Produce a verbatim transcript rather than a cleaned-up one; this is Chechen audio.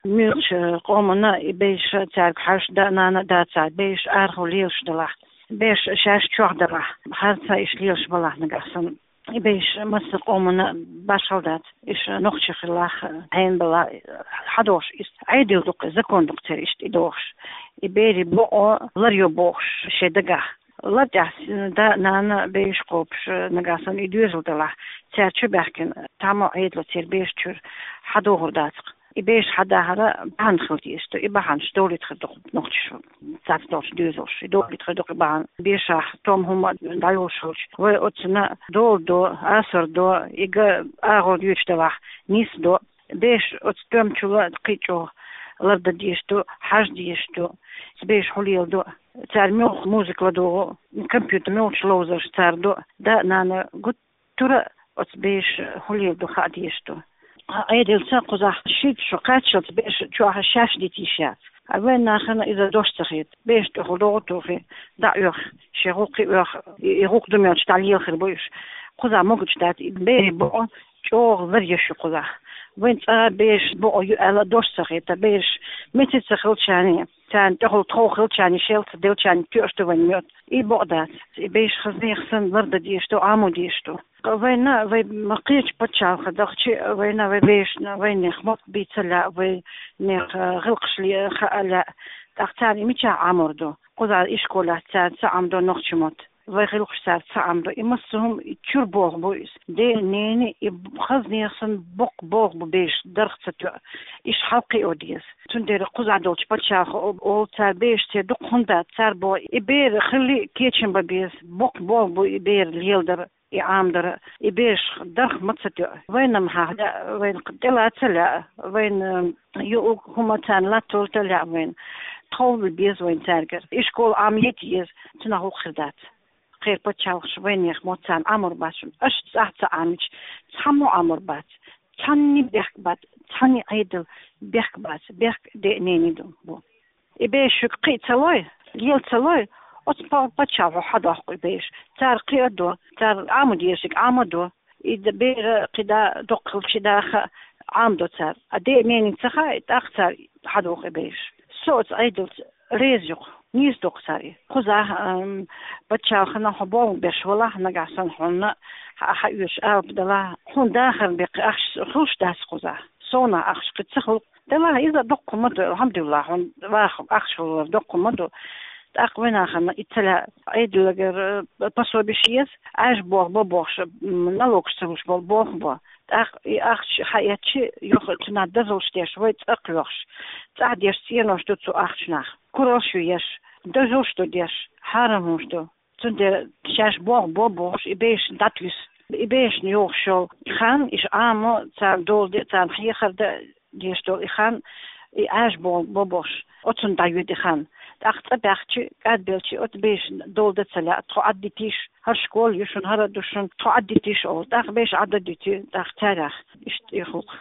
Муьлхача къомана и беш цаьрга хьажа, да-нана а дац, цаьрга беш арахьа лелаш далахь, беш шаьш чохь далахь, харцахьа иштта лелаш балахь нагахь санна. И беш массо а къомана башхал дац, иштта нохчий хиларх, хьенан бала хьадохуш, иштта Ӏедал ду-кх, закон ду-кх церан иштта и дохуш. И берийн букъо ларйо бохуш шен дагахь. Лар тӀехь да-нана беш кхобуш, нагахь санна и доьзал далахь, цаьрца чу баьхкина, тамо Ӏедало церан беш чуьра хьадохур дац-кх. И беш хьадахьара бахьана хила дезаш ду, и бахьанаш долийта хир ду-кх нохчаша, цхьацца долчу доьзалша, и долийта хир ду-кх и бахьана. Бешахь том хӀума дӀайолуш хилча, вай оцунна дола до, асар до, и ган агӀор йоьдуш далахь, нис до. Беш оцу тоьмачул а кхин а чӀогӀа лардан дезаш ду, хьажа дезаш ду, беш хьулъелла ду, цара муьлха музыка ладугӀу, компьютер муьлхачу ловзарш цара ду, да-нана гуттара а оцу беш хьулъелла ду хаа дезаш ду. Ӏедалца кхузахь шийтта шо кхаччалц беш чохь шаьш дита йиш яц. А вайн нахана иза дош ца хета. Беш тӀехула догӀу тухий, дӀа а оьху, шен гӀуллакхе а оьху, и, и гӀуллакх ду мелча дӀа лела хир бу уьш. Кхузахь могуш дац, и берийн букъо чӀогӀа ларъеш ю кхузахь. Вайн цкъа беш букъо ю аьлла дош ца хета, бераш меца ца хилчарна, царна тӀехула тхов хилчарна, шел ца делчарна тоьуш ду вайн моьтту. И букъ дац. И беш хаза нехан санна лардан дезаш ду, Ӏамо дезаш ду. Вайна, вай ма кхечу пачхьалкхе дахча, вайна, вай бешна, вайнех мотт бийца лаьа, вайнех, а, гӀиллакхаш ле-, хаа лаьа. ТӀаккха царна и мичахь Ӏамор ду? Кхузахь ишколехь цара ца Ӏамдо нохчийн мотт. Вай гӀиллакхаш цара ца Ӏамдо. И массо а хӀума и чуьра болх бу иза. Ден, ненан и хаза нехан санна боккха болх бу беш дарх ца тоьа. Иштта хьалакхио деза. Цундела кхузахь долчу пачхьалкхо олу, цара бешаца дукха хӀума дац, цара боху, и бер хилла а кечам бан беза. Боккха болх бу и бер леладар. И Ӏамадар, и беш дарх ма ца тоьа. Вайна-м хьан лаьа, вайна тӀелаца лаьа, вайна юург хӀума царна латталуш лаьа вайна. Тхов бан беза вайна цаьргара. Ишкол Ӏамийта еза, цунах гӀуллакх хир дац. Кхеран пачхьалкхаша вайнех мотт царна Ӏамор бац шуна. Аша цӀахь ца Ӏамича, цхьаммо Ӏамор бац. Цхьанне бехк бац, цхьанне Ӏедал бехк бац, бехк ден, ненан ду бу. И беш шуьга кхиа ца лой, лела ца лой, оцу па-, паччахьо хьадоккху и беш. Цара кхиа а до, цара Ӏамо дезарг Ӏамо а до. И д-, бер кхин дӀа доккха хилча даха а Ӏамадо цара. А ден, ненан ца хаий, тӀаккха цара хьадоху и беш. Со оцу Ӏедалца реза ю-кх, нийса ду-кх цара и. Кхузахь, ам, паччахьалкхана хьо болх беш валахь, нагахь санна хьуна хьа-, хьаоьцуш алапа далахь, хьуна дахаран беккхий ахча хуьлуш дац кхузахь. Совнах ахча кхин ца хуьлу. Делахь иза доккха хӀума ду, алхьамдулиллахӀ, хьуна ваха ахча хилар доккха хӀума ду. ТӀаккха вайн нахана и ца лаьа, Ӏедалгара, э, пособиш еза, Ӏаьржа болх бо бохуш, м, налогаш ца луш болу болх бо. ТӀаккха и ахча хьаэцчи, юха цунах дозаллаш деш, вай цӀакх лоьхуш, цӀахь деш цӀенош ду цу ахчанах. Куралш ю еш, дозаллаш ду деш, хьарам хӀумаш ду. Цундела шаьш болх бо бохуш, и бешна дӀатуьйсу. И бешна йогӀуш йолу хан, иша Ӏамо, царна дола де, царна хьехар дан дезаш долу и хан, и Ӏаьржа болх бо бохуш, оцунна дӀайоьду и хан. ТӀаккха цӀа баьхчи, кӀадбелчи, оцу бешна дола дан ца лаьа, тхо Ӏаддитийша, хӀара школа ю шуна, хӀара а ду шуна, тхо Ӏаддитийша олу. ТӀаккха беш Ӏаддитий, тӀаккха цаьрах иштта тӀехула.